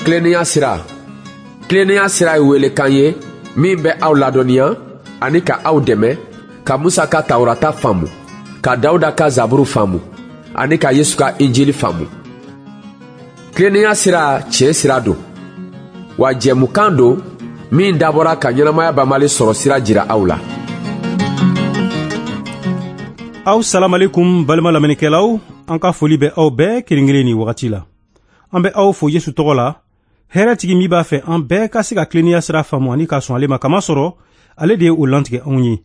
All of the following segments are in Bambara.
Tilennenya sira. Tilennenya sira ye welekan ye min bɛ aw ladɔnniya ani ka aw dɛmɛ ka Musa ka Tawurata faamu, ka Dawuda ka Zaburu faamu ani ka Yesu ka Injili faamu. Tilennenya sira tiɲɛ sira don, wa jɛmukan don min dabɔra ka ɲɛnamaya banbali sɔrɔ sira jira aw la. Aw salamalekum balima lamɛnnikɛlaw, an ka foli bɛ aw bɛɛ kelen kelen nin wagati la. An bɛ aw fo Yesu tɔgɔ la, hɛrɛtigi min b'a fɛ an bɛɛ ka se ka tilennenya sira faamu ani ka sɔn ale ma, kamasɔrɔ ale de ye o lantigɛ anw ye.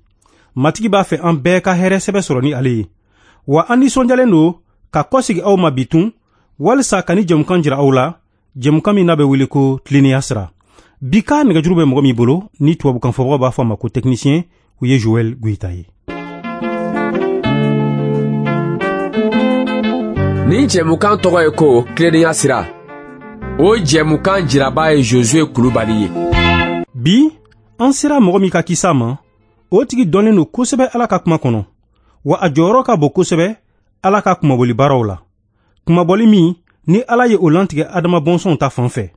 Matigi b'a fɛ an bɛɛ ka hɛrɛ sɛbɛ sɔrɔ ni ale ye. Wa an nisɔndiyalen don ka kɔsegi aw ma bi tun, walisa ka ni jɛmukan jira aw la, jɛmukan min n'a bɛ wele ko tilennenya sira. Bi ka nɛgɛjuru bɛ mɔgɔ min bolo, ni tubabukan fɔbagaw b'a fɔ a ma ko technicien, o ye Joël Goyita ye. Nin jɛmukan tɔgɔ ye ko tilennenya sira. O jɛmukan jiraba ye Josue Kulubali ye. Bi, an sera mɔgɔ min ka kisa ma, o tigi dɔnnen don kosɛbɛ Ala ka kuma kɔnɔ, wa a jɔyɔrɔ ka bon kosɛbɛ Ala ka kunmabɔli baaraw la. Kunmabɔli min ni Ala ye o lantigɛ Adama bɔnsɔnw ta fan fɛ.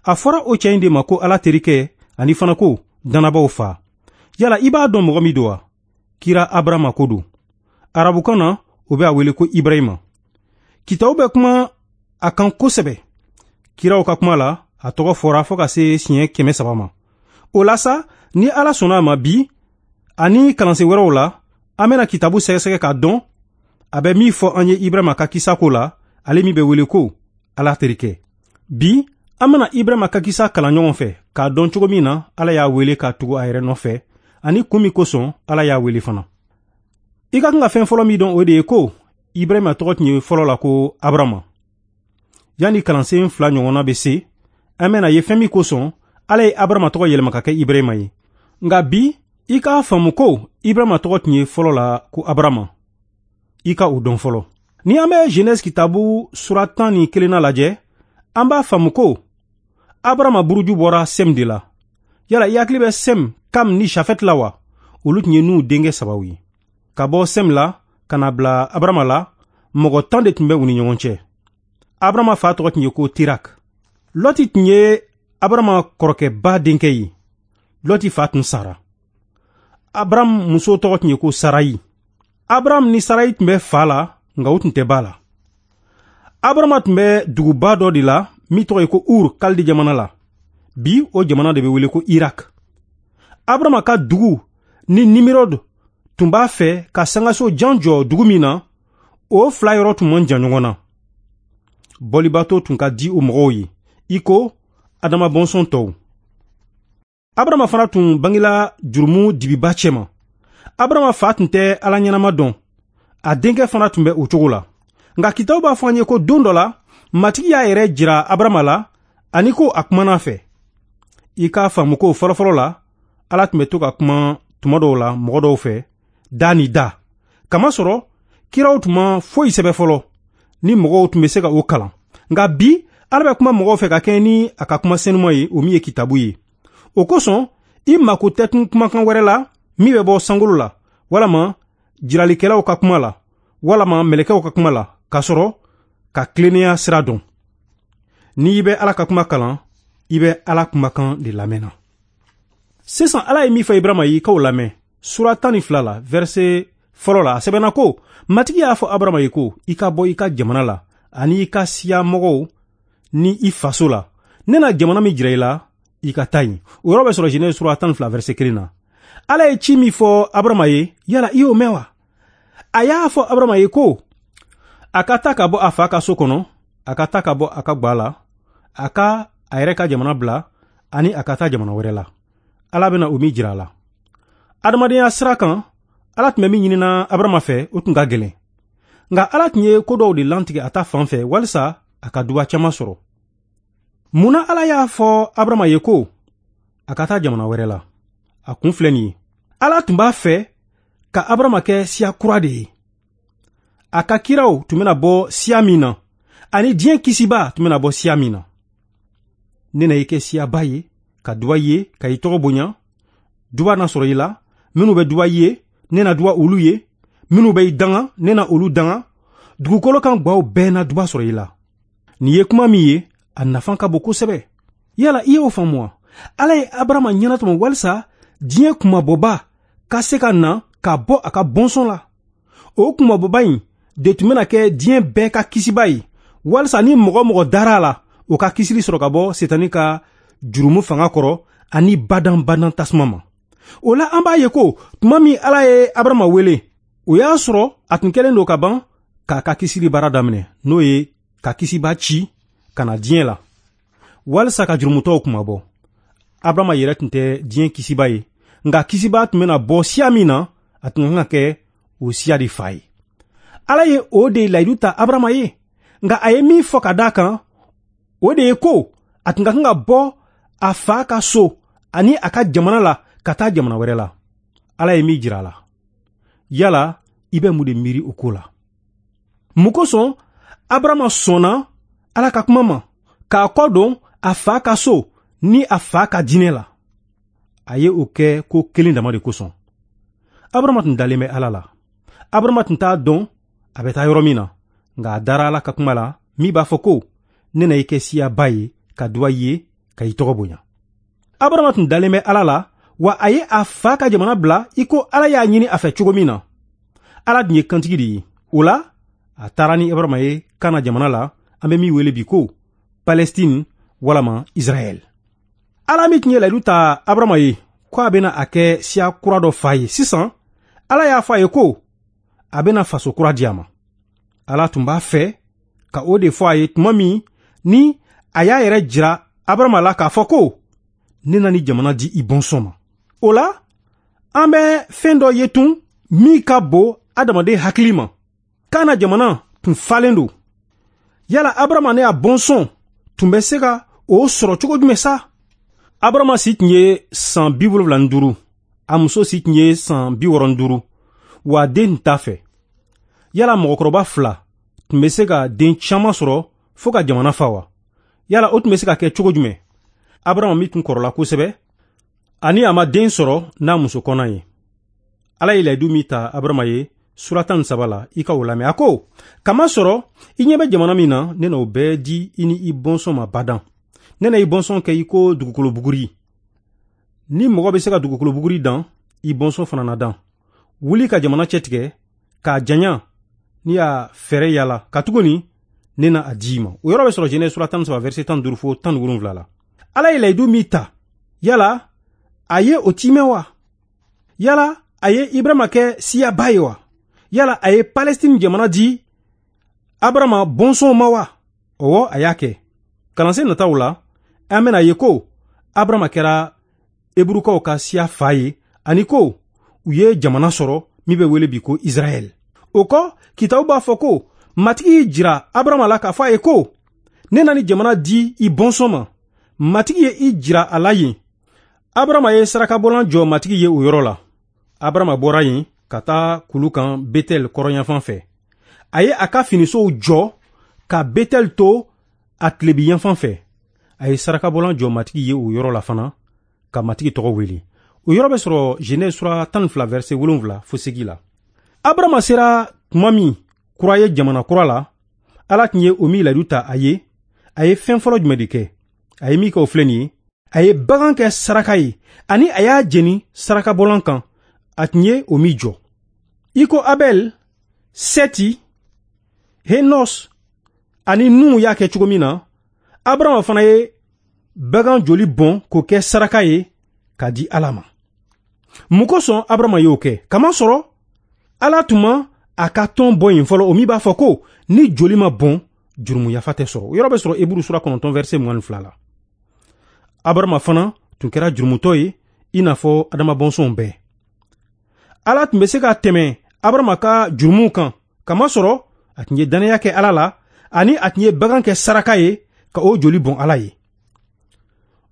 A fɔra o cɛ in de ma ko Ala terikɛ ani fana ko dannabaw fa. Yala i b'a dɔn mɔgɔ min don wa? Kira Abarama ko don. Arabukan na, o bɛ a wele ko Ibrahima. Kitabu bɛ kuma a kan kosɛbɛ. Kiraw ka kuma la, a tɔgɔ fɔra fo ka se siɲɛ 300 ma. O la sa, ni Ala sɔnna a ma bi, ani kalansen wɛrɛw la, an bɛna kitabu sɛgɛsɛgɛ k'a dɔn a bɛ min fɔ an ye Ibrahima ka kisa ko la, ale min bɛ wele ko Ala terikɛ. Bi, an bɛna Ibrahima ka kisa kalan ɲɔgɔn fɛ k'a dɔn cogo min na Ala y'a wele ka tugu a yɛrɛ nɔfɛ, ani kun min kosɔn Ala y'a wele fana. I ka kan ka fɛn fɔlɔ min dɔn, o de ye ko Ibrahima tɔgɔ tun ye fɔlɔ la ko Abarama. Yanni kalansen 2 ɲɔgɔnna bɛ se, an bɛna ye fɛn min kosɔn Ala ye Abarama tɔgɔ yɛlɛma ka kɛ Ibrahima ye. Nka bi, i k'a faamu ko Ibrahima tɔgɔ tun ye fɔlɔ la ko Abarama. I ka o dɔn fɔlɔ. Ni an bɛ Genèse kitabu sura 11 lajɛ, an b'a faamu ko Abarama buruju bɔra Sɛm de la. Yala i hakili bɛ Sɛm, Kam ni Jafɛt la wa? Olu tun ye Nuhu denkɛ 3 ye. Ka bɔ Sɛm la ka na bila Abarama la, mɔgɔ 10 de tun bɛ u ni ɲɔgɔn cɛ. Abarama fa tɔgɔ tun ye ko Terak. Lɔti tun ye Abarama kɔrɔkɛba denkɛ ye. Lɔti fa tun sara. Abaram muso tɔgɔ tun ye ko Sarayi. Abaram ni Sarayi tun bɛ fa la, nka u tun tɛ ba la. Abarama tun bɛ duguba dɔ de la min tɔgɔ ye ko Ur, Kalde jamana la. Bi, o jamana de bɛ wele ko Irak. Abarama ka dugu ni Nimirod tun b'a fɛ ka sangaso jan jɔ dugu min na, o 2 yɔrɔ tun man jan ɲɔgɔn na. Bɔlibato tun ka di o mɔgɔw ye, i ko Adama bɔnsɔn tɔw. Abarama fana tun bangela jurumu dibiba cɛma. Abarama fa tun tɛ Ala ɲɛnama dɔn, a denkɛ fana tun bɛ o cogo la. Nka kitabu b'a fɔ an ye ko don dɔ la, Matigi y'a yɛrɛ jira Abarama la ani ko a kumana a fɛ. I k'a faamu ko fɔlɔfɔlɔ la, Ala tun bɛ to ka kuma tuma dɔw la mɔgɔ dɔw fɛ, da ni da. Kamasɔrɔ, kiraw tun ma foyi sɛbɛ fɔlɔ, ni mɔgɔw tun bɛ se ka o kalan. Nka bi, Ala bɛ kuma mɔgɔw fɛ ka kɛɲɛ ni a ka kuma senuma ye, o min ye kitabu ye. O kosɔn, i mako tɛ tun kumakan wɛrɛ la min bɛ bɔ sankolo la, walama jiralikɛlaw ka kuma la, walama mɛlɛkɛw ka kuma la, k'a sɔrɔ ka tilennenya sira dɔn. N'i bɛ Ala ka kuma kalan, i bɛ Ala kumakan de lamɛnna. Sisan Ala ye min fɔ Ibrahima ye, i k'o lamɛn. Sura 12 la, verset fɔlɔ la, a sɛbɛnna ko, Matigi y'a fɔ Abarama ye ko, i ka bɔ i ka jamana la, ani i ka siya mɔgɔw ni i faso la. Ne na jamana min jira i la, i ka taa yen. O yɔrɔ bɛ sɔrɔ Genèse sura 12 verset 1 na. Ala ye ci min fɔ Abarama ye, yala i y'o mɛn wa? A y'a fɔ Abarama ye ko, a ka taa ka bɔ a fa ka so kɔnɔ, a ka taa ka bɔ a ka gwa la, a ka a yɛrɛ ka jamana bila, ani a ka taa jamana wɛrɛ la. Ala bɛna o min jira a la. Adamadenya sira kan, Ala tun bɛ min ɲinina Abarama fɛ, o tun ka gɛlɛn. Nka Ala tun ye ko dɔw de lantigɛ a ta fan fɛ walisa a ka duba caman sɔrɔ. Munna Ala y'a fɔ Abarama ye ko a ka taa jamana wɛrɛ la? A kun filɛ nin ye. Ala tun b'a fɛ ka Abarama kɛ siya kura de ye. A ka kiraw tun bɛna bɔ siya min na, ani diɲɛ kisiba tun bɛna bɔ siya min na. Ne na i kɛ siyaba ye, ka duba ye, ka i tɔgɔ bonya. Duba na sɔrɔ i la, minnu bɛ duba ye, ne na duba olu ye, minnu bɛ i danga, ne na olu danga. Dugukolo kan gwaw bɛɛ na duba sɔrɔ i la. Nin ye kuma min ye, A nafa ka bon kosɛbɛ. Yala i y'o faamu wa? Ala ye Abarama ɲɛnatɔmɔ walisa diɲɛ kunmabɔba ka se ka na ka bɔ a ka bɔnsɔn la. O kunmabɔba in de tun bɛna kɛ diɲɛ bɛɛ ka kisiba ye, walisa ni mɔgɔ mɔgɔ dara a la, o ka kisili sɔrɔ ka bɔ Setani ka jurumu fanga kɔrɔ ani badan-badan tasuma ma. O la an b'a ye ko tuma min Ala ye Abarama wele, o y'a sɔrɔ a tun kɛlen don ka ban k'a ka kisili baara daminɛ, n'o ye ka kisiba ci ka na diɲɛ la walisa ka jurumutɔw kunmabɔ. Abarama yɛrɛ tun tɛ diɲɛ kisiba ye, nka kisiba tun bɛna bɔ siya min na, a tun kan ka kɛ o siya de fa ye. Ala ye o de layidu ta Abarama ye, nka a ye min fɔ ka d'a kan, o de ye ko a tun ka kan ka bɔ a fa ka so ani a ka jamana la ka taa jamana wɛrɛ la. Ala ye min jira a la. Yala i bɛ mun de miiri o ko la? Mun kosɔn Abarama sɔnna Ala ka kuma ma k'a kɔ don a fa ka so ni a fa ka diinɛ la? A ye o kɛ ko kelen dama de kosɔn. Abarama tun dalen bɛ Ala la. Abarama tun t'a dɔn a bɛ taa yɔrɔ min na, nka a dara Ala ka kuma la min b'a fɔ ko ne na i kɛ siyaba ye ka duwa i ye ka i tɔgɔ bonya. Abarama tun dalen bɛ Ala la, wa a ye a fa ka jamana bila i ko Ala y'a ɲini a fɛ cogo min na. Ala dun ye kantigi de ye. O la, a taara ni Abarama ye Kana jamana la, an bɛ min wele bi ko Palestine walama Israɛl. Ala min tun ye layidu ta Abarama ye ko a bɛna a kɛ siya kura dɔ fa ye, sisan Ala y'a fɔ a ye ko a bɛna faso kura di a ma. Ala tun b'a fɛ ka o de fɔ a ye tuma min ni a y'a yɛrɛ jira Abarama la k'a fɔ ko ne na ni jamana di i bɔnsɔn ma. O la, an bɛ fɛn dɔ ye tun min ka bon adamaden hakili ma. Kana jamana tun falen don. Yala Abarama ne a bɔnsɔn tun bɛ se ka o sɔrɔ cogo jumɛn sa? Abarama si tun ye san 75, a muso si tun ye san 65, wa den tun t'a fɛ. Yala mɔgɔkɔrɔba fila tun bɛ se ka den caman sɔrɔ fo ka jamana fa wa? Yala o tun bɛ se ka kɛ cogo jumɛn? Abarama min tun kɔrɔla kosɛbɛ, ani a ma den sɔrɔ n'a muso kɔnɔ ye. Ala ye layidu min ta Abarama ye sura 13 la, i ka o lamɛn. A ko, kamasɔrɔ i ɲɛ bɛ jamana min na, ne na o bɛɛ di i ni i bɔnsɔn ma badan. Ne na i bɔnsɔn kɛ i ko dugukolo buguri. Ni mɔgɔ bɛ se ka dugukolo buguri dan, i bɔnsɔn fana na dan. Wuli ka jamana cɛtigɛ k'a janya ni y'a fɛɛrɛ yala, katuguni ne na a di i ma. O yɔrɔ bɛ sɔrɔ Genèse sura 13 verset 15 fo 17 la. Ala ye layidu min ta, yala a ye o timɛ wa? Yala a ye Ibrahima kɛ siyaba ye wa? Yala a ye Palestine jamana di Abarama bɔnsɔnw ma wa? Ɔwɔ, a y'a kɛ. Kalansen nataw la, an bɛna ye ko Abarama kɛra Eburukaw ka siya fa ye, ani ko u ye jamana sɔrɔ min bɛ wele bi ko Israɛl. O kɔ, kitabu b'a fɔ ko Matigi y'i jira Abarama la k'a fɔ a ye ko ne na ni jamana di i bɔnsɔn ma. Matigi ye i jira a la yen. Abarama ye sarakabɔlan jɔ Matigi ye o yɔrɔ la. Abarama bɔra yen ka taa kulu kan Betɛl kɔrɔnyanfan fɛ. A ye a ka finisow jɔ ka Betɛl to a tilebinyanfan fɛ. A ye sarakabɔlan jɔ Matigi ye o yɔrɔ la fana ka Matigi tɔgɔ wele. O yɔrɔ bɛ sɔrɔ Genèse sura 12 verset 7 fo 8 la. Abarama sera tuma min kura ye jamana kura la, Ala tun ye o min layidu ta a ye, a ye fɛn fɔlɔ jumɛn de kɛ? A ye min kɛ o filɛ nin ye. A ye bagan kɛ saraka ye, ani a y'a jeni sarakabɔlan kan, a tun ye o min jɔ. I ko Abɛl, Sɛti, Henos ani Nuhu y'a kɛ cogo min na, Abarama fana ye bagan joli bɔn k'o kɛ saraka ye k'a di Ala ma. Mun kosɔn Abarama y'o kɛ? Kamasɔrɔ Ala tun ma a ka tɔn bɔ yen fɔlɔ, o min b'a fɔ ko ni joli ma bɔn, jurumu yafa tɛ sɔrɔ. O yɔrɔ bɛ sɔrɔ Eburu sura 9 verset 22 la. Abarama fana tun kɛra jurumutɔ ye i n'a fɔ Adama bɔnsɔnw bɛɛ. Ala tun bɛ se ka tɛmɛ Abarama ka jurumuw kan, kamasɔrɔ a tun ye dannaya kɛ Ala la, ani a tun ye bagan kɛ saraka ye ka o joli bɔn Ala ye.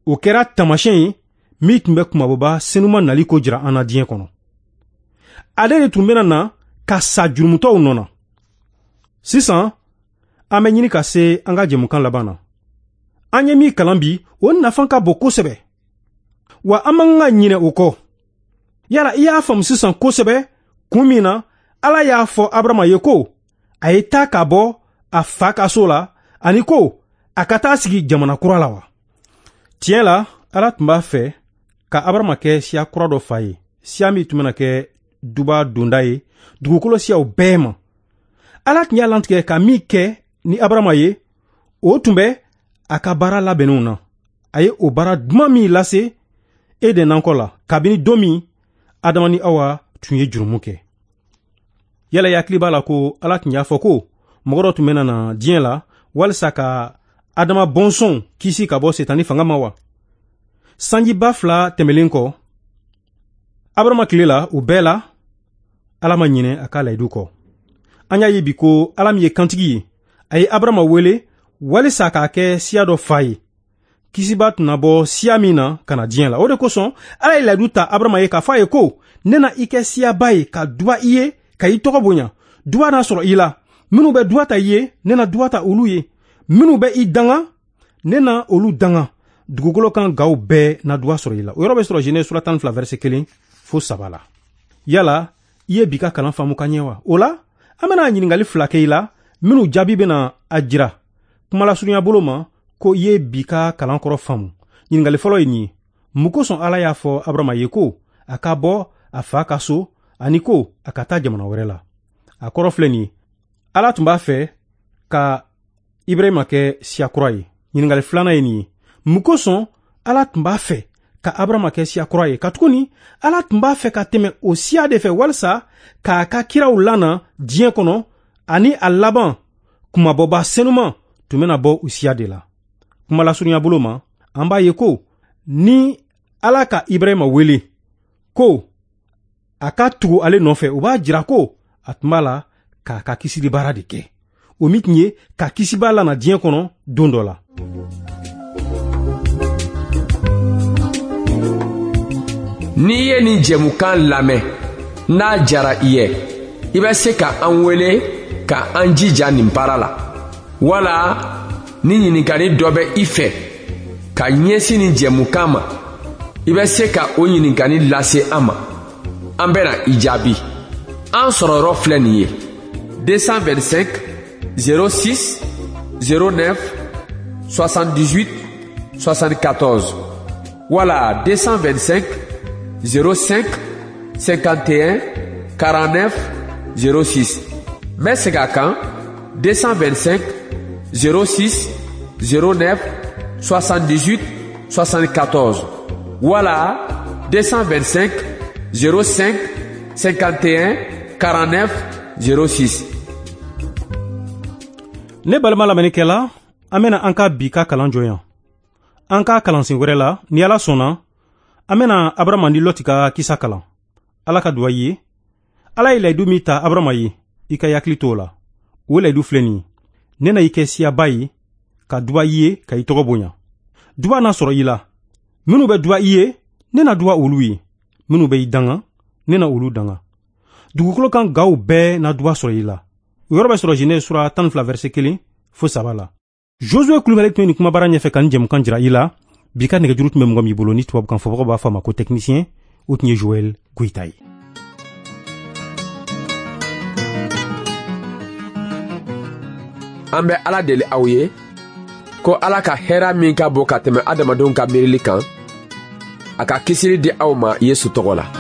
O kɛra taamasiyɛn ye min tun bɛ kunmabɔba senuma nali ko jira an na diɲɛ kɔnɔ. Ale de tun bɛna na ka sa jurumutɔw nɔ na. Sisan, an bɛ ɲini ka se an ka jɛmukan laban na. An ye min kalan bi, o nafa ka bon kosɛbɛ. Wa an man kan ka ɲinɛ o kɔ. Yala i y'a faamu sisan kosɛbɛ kun min na Ala y'a fɔ Abarama ye ko a ye taa ka bɔ a fa ka so la, ani ko a ka taa sigi jamana kura la wa? Tiɲɛ la, Ala tun b'a fɛ ka Abarama kɛ siya kura dɔ fa ye, siya min tun bɛna kɛ duba donda ye dugukolo siyaw bɛɛ ma. Ala tun y'a lantigɛ ka min kɛ ni Abarama ye, o tun bɛ a ka baara labɛnnenw na. A ye o baara duman min lase Eden nakɔ la, kabini don min Adama ni Awa tun ye jurumu kɛ. Yala i hakili b'a la ko Ala tun y'a fɔ ko mɔgɔ dɔ tun bɛna na diɲɛ la walisa ka Adama bɔnsɔnw kisi ka bɔ Setani fanga ma wa? Sanjiba 2 tɛmɛlen kɔ, Abarama tile la, o bɛɛ la, Ala ma ɲinɛ a ka layidu kɔ. An y'a ye bi ko Ala min ye kantigi ye, a ye Abarama wele walisa k'a kɛ siya dɔ fa ye. Kisiba tun na bɔ siya min na ka na diɲɛ la. O de kosɔn Ala ye layidu ta Abarama ye k'a fɔ a ye ko ne na i kɛ siyaba ye ka duba i ye ka i tɔgɔ bonya. Duba na sɔrɔ i la. Minnu bɛ duba ta i ye, ne na duba ta olu ye. Minnu bɛ i danga, ne na olu danga. Dugukolo kan gaw bɛɛ na duba sɔrɔ i la. O yɔrɔ bɛ sɔrɔ Genèse sura 12 verset 1 fo 3 la. Yala i ye bi ka kalan faamu ka ɲɛ wa? O la, an bɛna ɲininkali 2 kɛ i la minnu jaabi bɛna a jira kumalasurunya bolo ma ko i ye bi ka kalan kɔrɔ faamu. Ɲininkali fɔlɔ ye nin ye: mun kosɔn Ala y'a fɔ Abarama ye ko a ka bɔ a fa ka so ani ko a ka taa jamana wɛrɛ la? A kɔrɔ filɛ nin ye: Ala tun b'a fɛ ka Ibrahima kɛ siya kura ye. Ɲininkali filanan ye nin ye: mun kosɔn Ala tun b'a fɛ ka Abarama kɛ siya kura ye? Katuguni Ala tun b'a fɛ ka tɛmɛ o siya de fɛ walisa k'a ka kiraw lana diɲɛ kɔnɔ, ani a laban kumabɔba senuman tun bɛna bɔ o siya de la. Kumalasurunya bolo ma, an b'a ye ko ni Ala ka Ibrahima wele ko a ka tugu ale nɔfɛ, o b'a jira ko a tun b'a la k'a ka kisili baara de kɛ, o min tun ye ka kisiba lana diɲɛ kɔnɔ don dɔ la. N'i ye nin jɛmukan lamɛn, n'a jara i ye, i bɛ se ka an wele ka an jija nin baara la, wala ni ɲininkali dɔ bɛ i fɛ ka ɲɛsin nin jɛmukan ma, i bɛ se ka o ɲininkali lase an ma. An bɛna i jaabi. An sɔrɔyɔrɔ filɛ nin ye: 225 06 09 78 74 wala 225 05 51 49 06. N bɛ segin a kan: 225 06 09 78 74 wala 225 05 51 49 06. Ne balima lamɛnnikɛla, an bɛna an ka bi ka kalan jɔ yan. An ka kalansen wɛrɛ la, ni Ala sɔnna, an bɛna Abarama ni Lɔti ka kisa kalan. Ala ka duwa ye. Ala ye layidu min ta Abarama ye, i ka hakili t'o la. O layidu filɛ nin ye: ne na i kɛ siyaba ye, ka duba i ye, ka i tɔgɔ bonya. Duba na sɔrɔ i la. Minnu bɛ duba i ye, ne na duba olu ye. Minnu bɛ i danga, ne na olu danga. Dugukolo kan gaw bɛɛ na duba sɔrɔ i la. O yɔrɔ bɛ sɔrɔ Genèse sura 12 verset 1 fo 3 la. Josué Kulubali tun ye nin kumabara ɲɛfɛ ka nin jɛmukan jira i la. Bi ka nɛgɛjuru tun bɛ mɔgɔ min bolo ni tubabukan fɔbagaw b'a fɔ a ma ko technicien, o tun ye Joël Goïta ye. An bɛ Ala deli aw ye ko Ala ka hɛrɛ min ka bon ka tɛmɛ adamadenw ka miirili kan, a ka kisili di aw ma Yesu tɔgɔ la.